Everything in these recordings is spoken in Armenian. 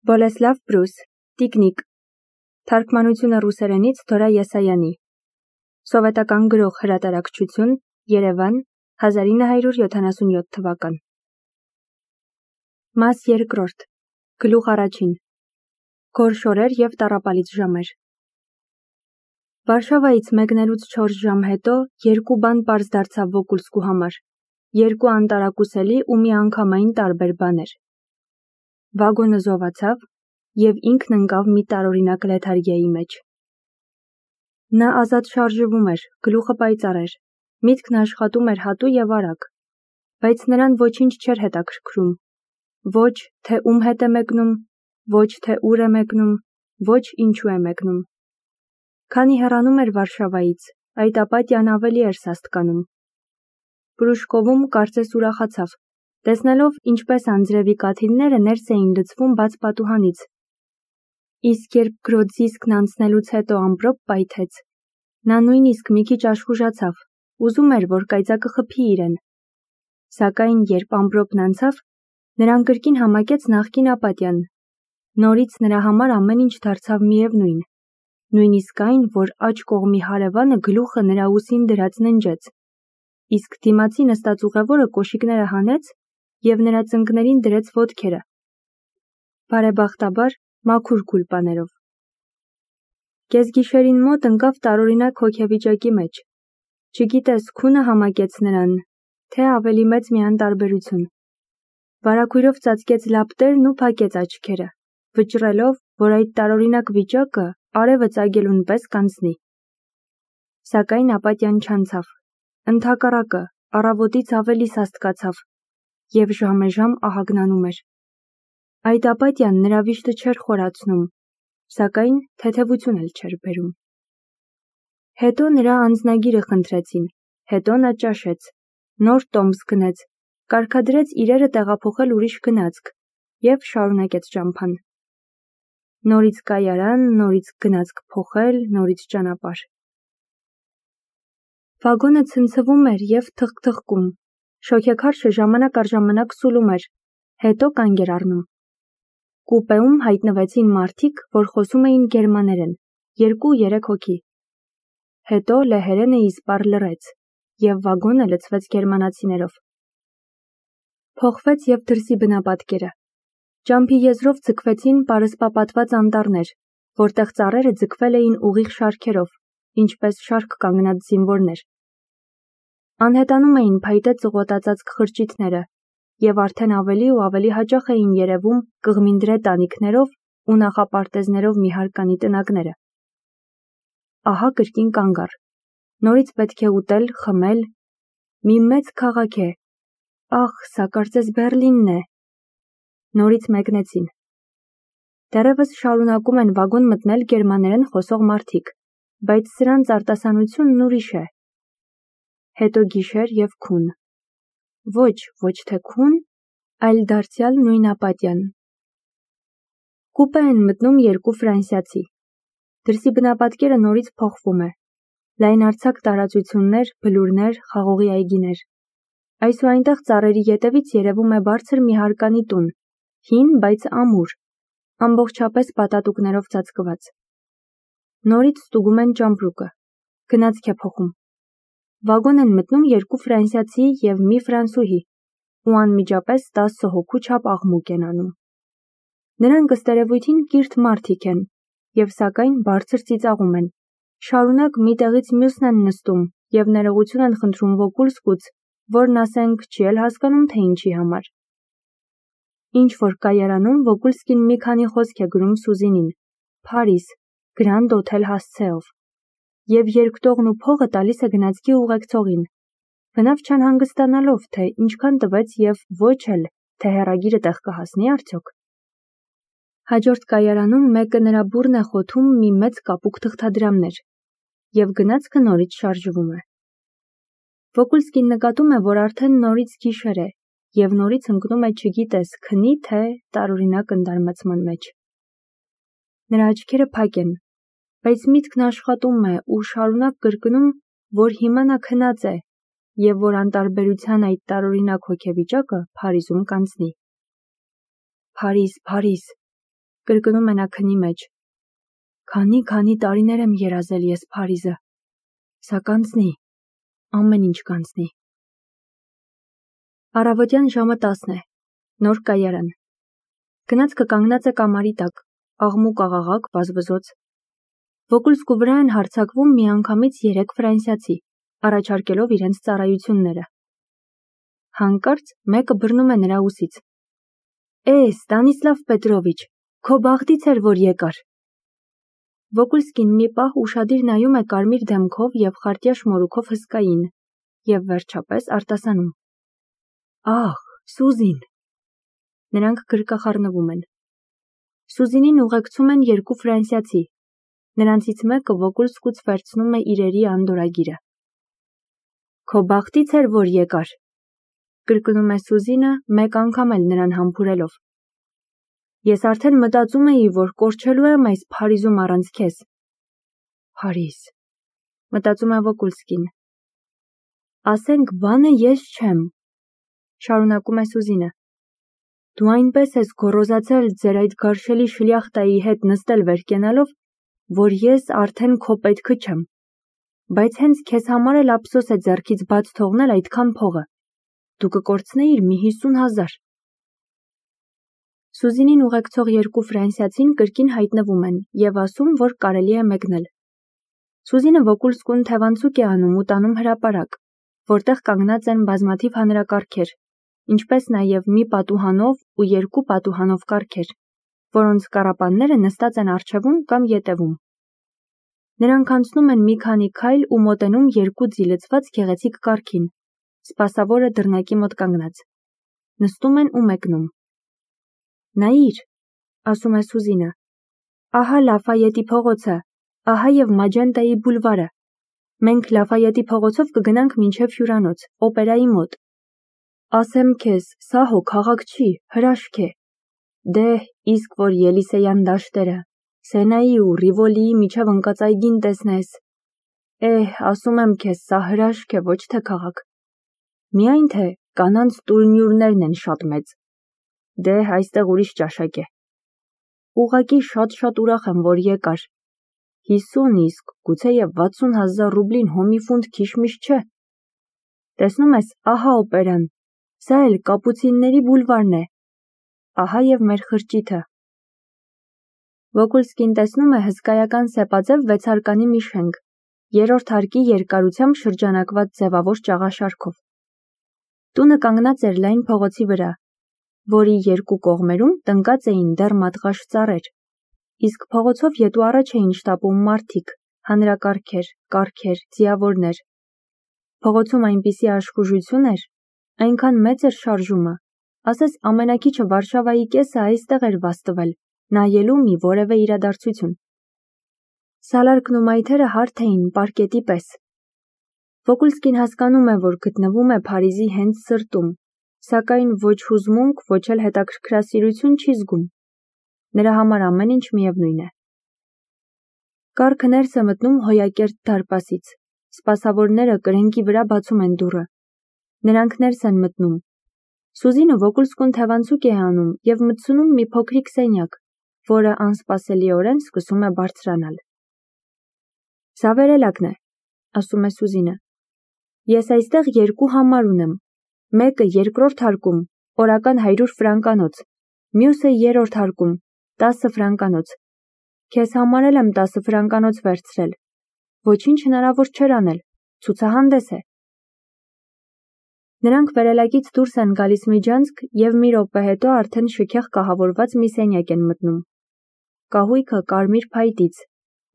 Բոլեսլավ Բրուս, Տիկնիկ, թարգմանությունը ռուսերենից Դորա Եսայանի, սովետական գրող հրատարակչություն, Երևան, 1977 թվական։ Մաս երկրորդ, գլուխ առաջին, գորշ օրեր և տառապալից ժամեր։ Վարշավայից մեկնելուց 4 ժամ հետո երկու բան պարզ դարձավ Վոկուլսկու համար, երկու անտարակուսելի ու միանգամայն տարբեր բաներ։ Վագոնը զովացավ և ինքն ընկավ մի տարօրինակ լեթարգիայի մեջ։ Նա ազատ շարժվում էր, գլուխը պայծառ էր, միտքն աշխատում էր հատու և արագ, բայց նրան ոչինչ չէր հետաքրքրում, ոչ թե ում հետ է մեկնում, ոչ թե ուր է մեկնում, ոչ ինչու է մեկնում։ Քանի հեռանում էր Վարշավայից, այդ ապատյան ավելի էր սաստկանում։ Պրուշկովում կարծես ուրախացավ, տեսնելով ինչպես անձրևի կաթիլները ներս էին լցվում բաց պատուհանից։ Իսկ երբ Գրոձիսկն անցնելուց հետո ամպրոպ պայթեց, նա նույնիսկ մի քիչ աշխուժացավ, ուզում էր, որ կայծակը խփի իրեն։ Սակայն երբ ամպրոպն անցավ, նրան կրկին համակեց նախկին ապատյան։ Նորից նրա համար ամեն ինչ դարձավ միևնույն, նույնիսկ այն, որ աջ կողմի հարևանը գլուխը նրա ուսին դրած ննջեց, իսկ դիմացի նստած ուղևորը կոշիկները հանեց և նրա ծնկներին դրեց ոտքերը։ Բարեբախտաբար, մաքուր գուլպաներով։ Կեսգիշերին մոտ ընկավ տարօրինակ հոգեվիճակի մեջ։ Չգիտես քունը համակեց նրան, թե ավելի մեծ մի անտարբերություն։ Վարագույրով ծածկեց լապտերն ու փակեց աչքերը, վճռելով, որ այդ տարօրինակ վիճակը արևը ծագելուն պես կանցնի։ Սակայն ապատյան չանցավ։ Ընդհակառակը, առավոտից ավելի սաստկացավ և ժամեժամ ահագնանում էր։ Այդ ապատյան նրա վիշտը չէր խորացնում, սակայն թեթևություն էլ չէր բերում։ Հետո նրա անձնագիրը խնդրեցին, հետո նա ճաշեց, նոր տոմս գնեց, կարգադրեց իրերը տեղափոխել ուրիշ գնացք և շարունակեց ճամփան։ Նորից կայարան, նորից գնացք փոխել, նորից ճանապարհ։ Վագոնը ցնցվում էր և թխկթխկում, շոգեքարշը ժամանակ առ ժամանակ սուլում էր, հետո կանգ էր առնում։ Կուպեում հայտնվեցին մարդիկ, որ խոսում էին գերմաներեն, 2-3 հոգի։ Հետո լեհերենը իսպառ լռեց, և վագոնը լցվեց գերմանացիներով։ Փոխվեց և դրսի բնապատկերը։ Ճամփի եզրով ձգվեցին պարսպապատված անտառներ, որտեղ ծառերը ձգվել էին ուղիղ շարքերով, ինչպես շարք կանգնած զինվորներ։ Անհետանում էին փայտե ծղոտածածկ խրճիթները, և արդեն ավելի ու ավելի հաճախ էին երևում կղմինդրե տանիքներով ու նախապարտեզներով մի հարկանի տնակները։ Ահա կրկին կանգ առ։ Նորից պետք է ուտել, խմել։ Մի մեծ քաղաք է։ Ախ, սա կարծես Բեռլինն է։ Նորից մեկնեցին։ Դեռևս շարունակում են վագոն մտնել գերմաներեն խոսող մարդիկ, բայց սրանց արտասանությունն ուրիշ է։ Հետո գիշեր և քուն։ Ոչ թե քուն, այլ դարձյալ նույն ապատյան։ Կուպե են մտնում երկու ֆրանսիացի։ Դրսի բնապատկերը նորից փոխվում է։ Լայնարձակ տարածություններ, բլուրներ, խաղողի այգիներ։ Այս ու այնտեղ ծառերի ետևից երևում է բարձր մի հարկանի տուն, հին, բայց ամուր, ամբողջապես պատատուկներով ծածկված։ Նորից ստուգում են ճամպրուկը։ Գնացք է փոխում։ Վագոն են մտնում երկու ֆրանսիացի և մի ֆրանսուհի, ու անմիջապես 10 հոգու չափ աղմուկ են անում։ Նրանք ըստ երևույթին կիրթ մարդիկ են, և սակայն բարձր ծիծաղում են, շարունակ մի տեղից մյուսն են նստում և ներողություն են խնդրում Վոկուլսկուց, որն ասենք չի էլ հասկանում, թե ինչի համար։ Ինչ-որ կայարանում Վոկուլսկին մի քանի խոսք է գրում Սուզինին, Փարիզ, Grand Hotel հասցեով, և երկտողն ու փողը տալիս է գնացքի ուղեկցողին, բնավ չանհանգստանալով, թե ինչքան տվեց և ոչ էլ, թե հեռագիրը տեղ կհասնի արդյոք։ Հաջորդ կայարանում մեկը նրա բուռն է խոթում մի մեծ կապուկ թղթադրամներ, և գնացքը նորից շարժվում է։ Վոկուլսկին նկատում է, որ արդեն նորից գիշեր է, և նորից ընկնում է չգիտես քնի թե տարօրինակ ընդարմացման մեջ։ Նրա աչքերը փակ են, բայց միտքն աշխատում է ու շարունակ կրկնում, որ հիմա նա քնած է, և որ անտարբերության այդ տարօրինակ հոգեվիճակը Փարիզում կանցնի։ Փարիզ, Փարիզ։ Կրկնում է նա քնի մեջ։ Քանի տարիներ եմ երազել ես Փարիզը։ Սա կանցնի, ամեն ինչ կանցնի։ Առավոտյան ժամը 10 է, նոր կայարան։ Գնացքը կանգնած է կամարի տակ, աղմուկ-աղաղակ, բազբզոց։ Վոկուլսկու վրա են հարձակվում միանգամից 3 ֆրանսիացի, առաջարկելով իրենց ծառայությունները։ Հանկարծ մեկը բռնում է նրա ուսից։ Ստանիսլավ Պետրովիչ, քո բախտից էր, որ եկար։ Վոկուլսկին մի պահ ուշադիր նայում է կարմիր դեմքով և խարտյա շմորուքով հսկային և վերջապես արտասանում. Ահ, Սուզին։ Նրանք գրկախառնվում են։ Սուզինին ուղեկցում են 2 ֆրանսիացի։ Նրանցից մեկը Վոկուլսկուց վերցնում է իրերի անդորրագիրը։ Քո բախտից էր, որ եկար, կրկնում է Սուզինը, մեկ անգամ էլ նրան համբուրելով։ Ես արդեն մտածում էի, որ կորչելու եմ այս Փարիզում առանց քեզ։ Փարիզ, մտածում է Վոկուլսկին։ Ասենք բանը ես չեմ, շարունակում է Սուզինը։ Դու այնպես ես գոռոզացել ձեր այդ գարշելի շլյախտայի հետ նստել վերկենալով, որ ես արդեն քո պետքը չեմ։ Բայց հենց քեզ համար էլ ափսոս է ձեռքից բաց թողնել այդքան փողը։ Դու կկորցնեիր մի 50,000։ Սուզինին ուղեկցող 2 ֆրանսիացին կրկին հայտնվում են և ասում, որ կարելի է մեկնել։ Սուզինը Վոկուլսկուն թևանցուկ է անում ու տանում հրապարակ, որտեղ կանգնած են բազմաթիվ հանրակարգեր, ինչպես նաև մի պատուհանով ու 2 պատուհանով կառքեր, որոնց կառապանները նստած են առջևում կամ ետևում։ Նրանք անցնում են մի քանի քայլ ու մոտենում 2 ձիլցված գեղեցիկ կառքին, սպասավորը դռնակի մոտ կանգնած։ Նստում են ու մեկնում։ Նայիր, ասում է Սուզինը, ահա Լաֆայետի փողոցը, ահա և Մաջենտայի բուլվարը։ Մենք Լաֆայետի փողոցով կգնանք մինչև հյուրանոց, օպերայի մոտ։ Ասեմ քեզ, սա հո քաղաք չի, հրաշք է։ Դե, իսկ որ Ելիսեյան դաշտերը, Սենայի ու Ռիվոլիի միջև ընկած այգին տեսնես։ Ասում եմ քեզ, սա հրաշք է, ոչ թե քաղաք։ Միայն թե կանանց տուրնյուրներն են շատ մեծ։ Դե, այստեղ ուրիշ ճաշակ է։ Ուղղակի շատ ուրախ եմ, որ եկար։ 50 իսկ գուցեև 60,000 ռուբլին հոմի ֆունտ քիշմիշ չէ։ Տեսնում ես, ահա օպերան, սա էլ Կապուցինների բուլվարն է։ Ահա և մեր խրճիթը։ Վոկուլսկին տեսնում է հսկայական սեպաձև 6-հարկանի մի շենք, 3-րդ հարկի երկարությամբ շրջանակված ձևավոր ճաղաշարքով։ Տունը կանգնած էր լայն փողոցի վրա, որի 2 կողմերում տնկած էին դեռ մատղաշ ծառեր, իսկ փողոցով ետ ու առաջ էին շտապում մարդիկ, հանրակարգեր, կառքեր, ձիավորներ։ Փողոցում այնպիսի աշխուժություն էր, այնքան մեծ էր շարժումը, ասես ամենաքիչը Վարշավայի կեսը այստեղ էր վաստվել, նայելու մի որևէ իրադարձություն։ Սալարկն ու մայթերը հարթ էին պարկետի պես։ Վոկուլսկին հասկանում է, որ գտնվում է Փարիզի հենց սրտում, սակայն ոչ հուզմունք, ոչ էլ հետաքրքրասիրություն չի զգում։ Նրա համար ամեն ինչ միևնույն է։ Կառքը ներս է մտնում հոյակերտ դարպասից, սպասավորները կրենկի վրա բացում են դուռը։ Նրանք ներս են մտնում։ Սուզինը Վոկուլսկուն թևանցուկ է անում և մտցնում մի փոքրիկ սենյակ, որը անսպասելիորեն սկսում է բարձրանալ։ Սա վերելակն է, ասում է Սուզինը։ Ես այստեղ 2 համար ունեմ, մեկը 2-րդ հարկում, օրական 100 ֆրանկանոց, մյուսը 3-րդ հարկում, 10 ֆրանկանոց։ Քեզ համար էլ եմ 10 ֆրանկանոց վերցրել։ Ոչինչ հնարավոր չէր անել, ցուցահանդես է։ Նրանք վերելակից դուրս են գալիս միջանցք և մի րոպե հետո արդեն շքեղ կահավորված մի սենյակ են մտնում։ Կահույքը կարմիր փայտից,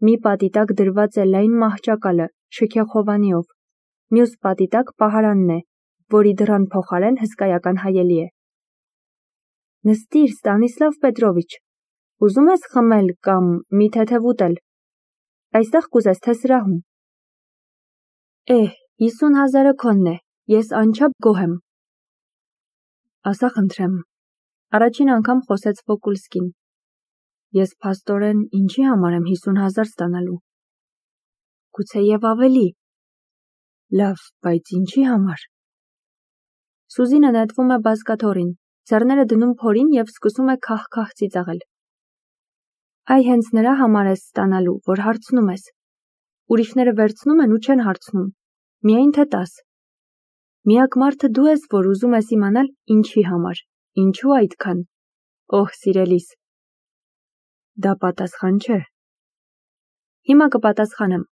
մի պատի տակ դրված է լայն մահճակալը, շքեղ հովանիով, մյուս պատի տակ պահարանն է, որի դռան փոխարեն հսկայական հայելի է։ Նստիր, Ստանիսլավ Պետրովիչ, ուզում ես խմել կամ մի թեթև ուտել։ Այստեղ կուզես թե սրահում։ 50,000-ը քոնն է, ես անչափ գոհ եմ։ Ասա խնդրեմ, առաջին անգամ խոսեց Վոկուլսկին։ Ես փաստորեն ինչի համար եմ 50,000 ստանալու։ Գուցեև ավելի։ Լավ, բայց ինչի համար։ Սուզինը նետվում է բազկաթոռին, ձեռները դնում փորին և սկսում է քահ-քահ ծիծաղել։ Այ հենց նրա համար ես ստանալու, որ հարցնում ես։ Ուրիշները վերցնում են ու չեն հարցնում, միայն թե տաս։ Միակ մարդը դու ես, որ ուզում ես իմանալ ինչի համար, ինչու այդքան։ Օհ, սիրելիս։ Դա պատասխան չէ։ Հիմա կպատասխանեմ։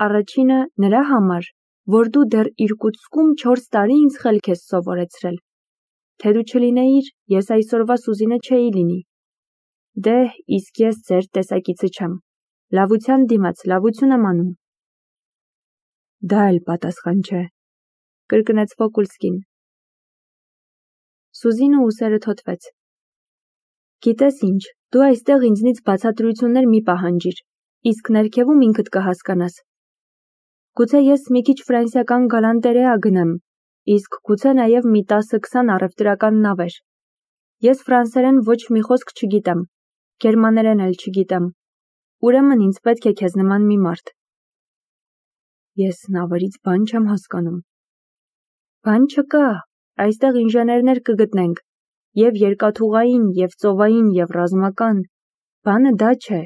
Առաջինը նրա համար, որ դու դեռ Իրկուտսկում 4 տարի ինձ խելք ես սովորեցրել։ Թե դու չլինեիր, ես այսօրվա Սուզինը չէի լինի։ Դե, իսկ ես ձեր տեսակիցը չեմ։ Լավության դիմաց լավություն եմ անում։ Դա էլ պատասխան չէ, կրկնեց Վոկուլսկին։ Սուզինը ուսերը թոթվեց։ Գիտես ինչ, դու այստեղ ինձնից բացատրություններ մի պահանջիր, իսկ ներքևում ինքդ կհասկանաս։ Գուցե ես մի քիչ ֆրանսիական գալանտերեա գնեմ, իսկ գուցե նաև մի 10-20 առևտրական նավեր։ Ես ֆրանսերեն ոչ մի խոսք չգիտեմ, գերմաներեն էլ չգիտեմ, ուրեմն ինձ պետք է քեզ նման մի մարդ։ Ես նավերից բան չեմ հասկանում։ Բան չկա, այստեղ ինժեներներ կգտնենք, և երկաթուղային, և ծովային, և ռազմական, բանը դա չէ,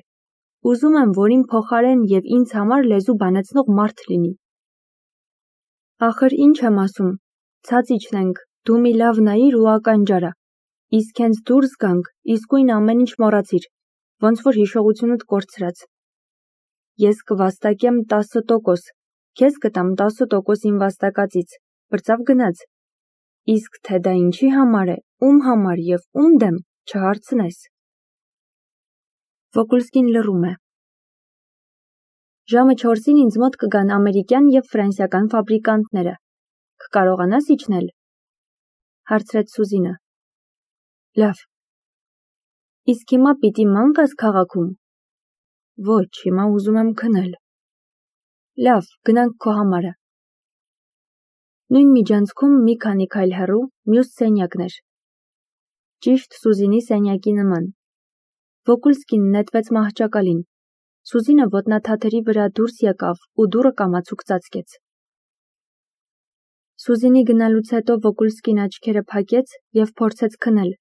ուզում եմ, որ իմ փոխարեն և ինձ համար լեզու բանեցնող մարդ լինի։ Ախր ինչ եմ ասում, ցած իջնենք, դու մի լավ նայիր ու ականջարա, իսկ հենց դուրս գանք, իսկույն ամեն ինչ մոռացիր, ոնց որ հիշողությունդ կորցրած։ Ես կվաստակեմ 10%, քեզ կտամ 10% իմ վաստակածից, բրծավ գնաց։ Իսկ թե դա ինչի համար է, ում համար և ում դեմ, չհարցնես։ Վոկուլսկին լռում է։ Ժամը 4-ին ինձ մոտ կգան ամերիկյան և ֆրանսիական ֆաբրիկանտները։ Կկարողանաս իջնել։ Հարցրեց Սուզինը։ Լավ։ Իսկ հիմա պիտի ման գաս քաղաքում։ Ոչ, հիմա ուզում եմ քնել։ Լավ, գնանք քո համարը։ Նույն միջանցքում մի քանի քայլ հեռու մյուս սենյակն էր։ Ճիշտ Սուզինի սենյակի նման։ Վոկուլսկին նետվեց մահճակալին։ Սուզինը ոտնաթաթերի վրա դուրս եկավ ու դուռը կամացուկ ծածկեց։ Սուզինի գնալուց հետո Վոկուլսկին աչքերը փակեց և փորձեց քնել,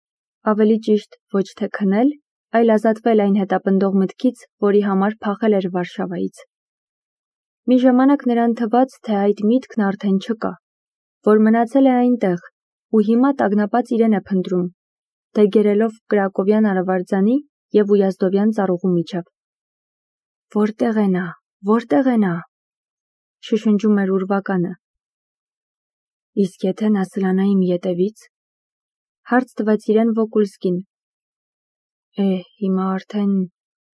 ավելի ճիշտ ոչ թե քնել, այլ ազատվել այն հետապնդող մտքից, որի համար փախել էր Վարշավայից։ Մի ժամանակ նրան թվաց, թե այդ միտքն արդեն չկա, որ մնացել է այնտեղ ու հիմա տագնապած իրեն է փնտրում, դեգերելով Կրակովյան արևարձանի և Ույազդովյան ծառուղու միջև։ Որտեղ է նա, որտեղ է նա, շշնջում էր ուրվականը։ Իսկ եթե նա սլանա իմ ետևից, հարց տվեց իրեն Վոկուլսկին։ Հիմա արդեն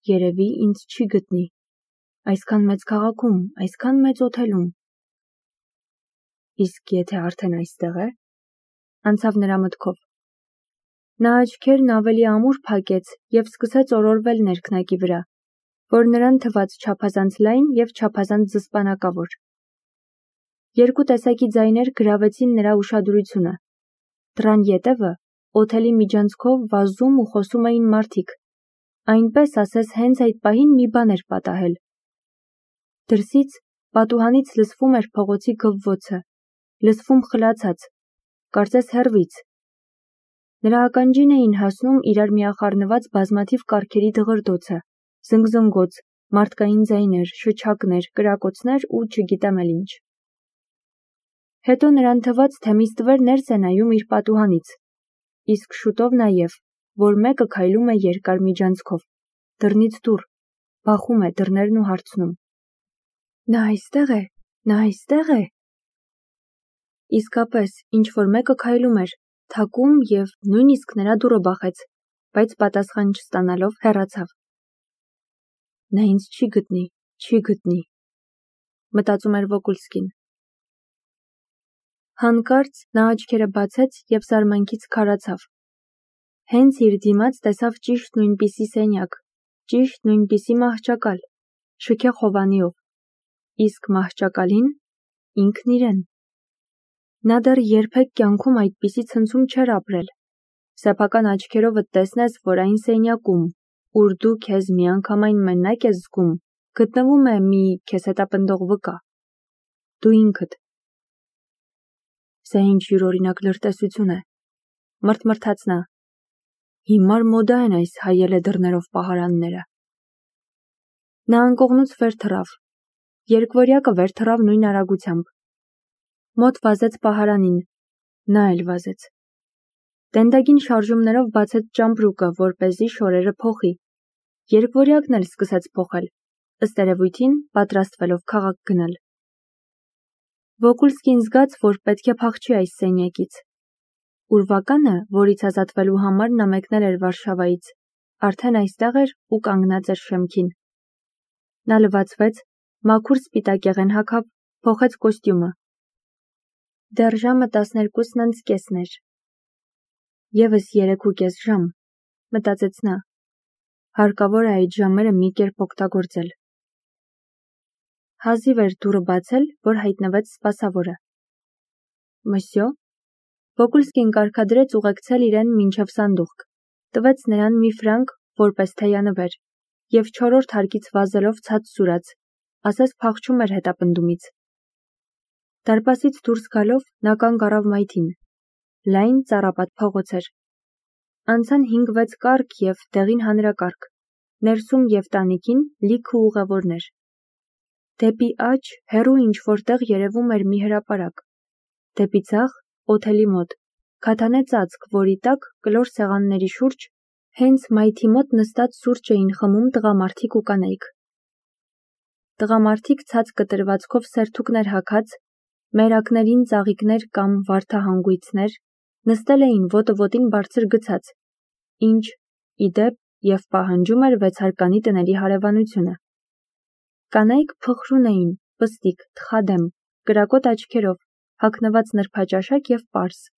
երևի ինձ չի գտնի, այսքան մեծ քաղաքում, այսքան մեծ օթելում։ Իսկ եթե արդեն այստեղ է, անցավ նրա մտքով։ Նա աչքերն ավելի ամուր փակեց և սկսեց օրորվել ներքնակի վրա, որ նրան թվաց չափազանց լայն և չափազանց զսպանակավոր։ Երկու տեսակի ձայներ գրավեցին նրա ուշադրությունը։ Դռան ետևը, օթելի միջանցքով վազում ու խոսում էին մարդիկ, այնպես ասես հենց այդ պահին մի բան էր պատահել։ Դրսից, պատուհանից լսվում էր փողոցի գվվոցը, լսվում խլացած, կարծես հեռվից։ Նրա ականջին էին հասնում իրար միախառնված բազմաթիվ կառքերի դղրդոցը, զնգզնգոց, մարդկային ձայներ, շչակներ, կրակոցներ ու չգիտեմ էլ ինչ։ Հետո նրան թվաց, թե մի ստվեր ներս է նայում իր պատուհանից, իսկ շուտով նաև, որ մեկը քայլում է երկար միջանցքով, դռնից դուռ, բախում է դռներն ու հարցնում. Նա այստեղ է, նա այստեղ է։ Իսկապես, ինչ-որ մեկը քայլում էր, թակում և նույնիսկ նրա դուռը բախեց, բայց պատասխան չստանալով հեռացավ։ Նա ինձ չի գտնի, մտածում էր Վոկուլսկին։ Հանկարծ նա աչքերը բացեց և զարմանքից քարացավ։ Հենց իր դիմաց տեսավ ճիշտ նույնպիսի սենյակ, ճիշտ նույնպիսի մահճակալ, շքեղ հովանիով, իսկ մահճակալին ինքն իրեն։ Նա դեռ երբեք կյանքում այդպիսի ցնցում չէր ապրել։ Սեփական աչքերովդ տեսնես, որ այն սենյակում, ուր դու քեզ միանգամայն մենակ ես զգում, գտնվում է մի քեզ հետապնդող վկա։ Դու ինքդ։ Սա ինչ յուրօրինակ լրտեսություն է, մրթմրթաց նա։ Հիմար մոդա են այս հայելե դռներով պահարանները։ Նա անկողնուց վեր թռավ։ Երկվորյակը վեր թռավ նույն արագությամբ։ Մոտ վազեց պահարանին։ Նա էլ վազեց։ Տենդագին շարժումներով բացեց ճամպրուկը, որպեսզի շորերը փոխի։ Երկվորյակն էլ սկսեց փոխել, ըստ երևույթին պատրաստվելով քաղաք գնալ։ Վոկուլսկին զգաց, որ պետք է փախչի այս սենյակից։ Ուրվականը, որից ազատվելու համար նա մեկնել էր Վարշավայից, արդեն այստեղ էր ու կանգնած էր շեմքին։ Նա լվացվեց, մաքուր սպիտակեղեն հագավ, փոխեց կոստյումը։ Դեռ ժամը 12:30 էր։ Եվս 3:30 ժամ, մտածեց նա։ Հարկավոր է այդ ժամերը մի կերպ օգտագործել։ Հազիվ էր դուռը բացել, որ հայտնվեց սպասավորը։ Մսյո։ Վոկուլսկին կարգադրեց ուղեկցել իրեն մինչև սանդուղք, տվեց նրան մի ֆրանկ, որպես թեյանվեր, և 4-րդ հարկից վազելով ցած սուրաց, ասես փախչում էր հետապնդումից։ Դարպասից դուրս գալով նա կանգ առավ մայթին։ Լայն ծառապատ փողոց էր։ Անցան 5-6 կառք և դեղին հանրակարգ, ներսում և տանիքին լիքը ուղևորներ։ Դեպի աջ հեռու ինչ-որ տեղ երևում էր մի հրապարակ։ Դեպի ձախ օթելի մոտ, քաթանե ծածկ, որի տակ կլոր սեղանների շուրջ հենց մայթի մոտ նստած սուրճ էին խմում տղամարդիկ ու կանայք։ Տղամարդիկ ցած կտրվածքով սերթուկներ հագած, մերակներին ծաղիկներ կամ վարդահանգույցներ, նստել էին ոտը ոտին բարձր գցած, ինչ, ի դեպ, և պահանջում էր 6-հարկանի տների հարևանությունը։ Կանայք փխրուն էին, պստիկ, թխադեմ, կրակոտ աչքերով, հագնված նրբաճաշակ և պարս։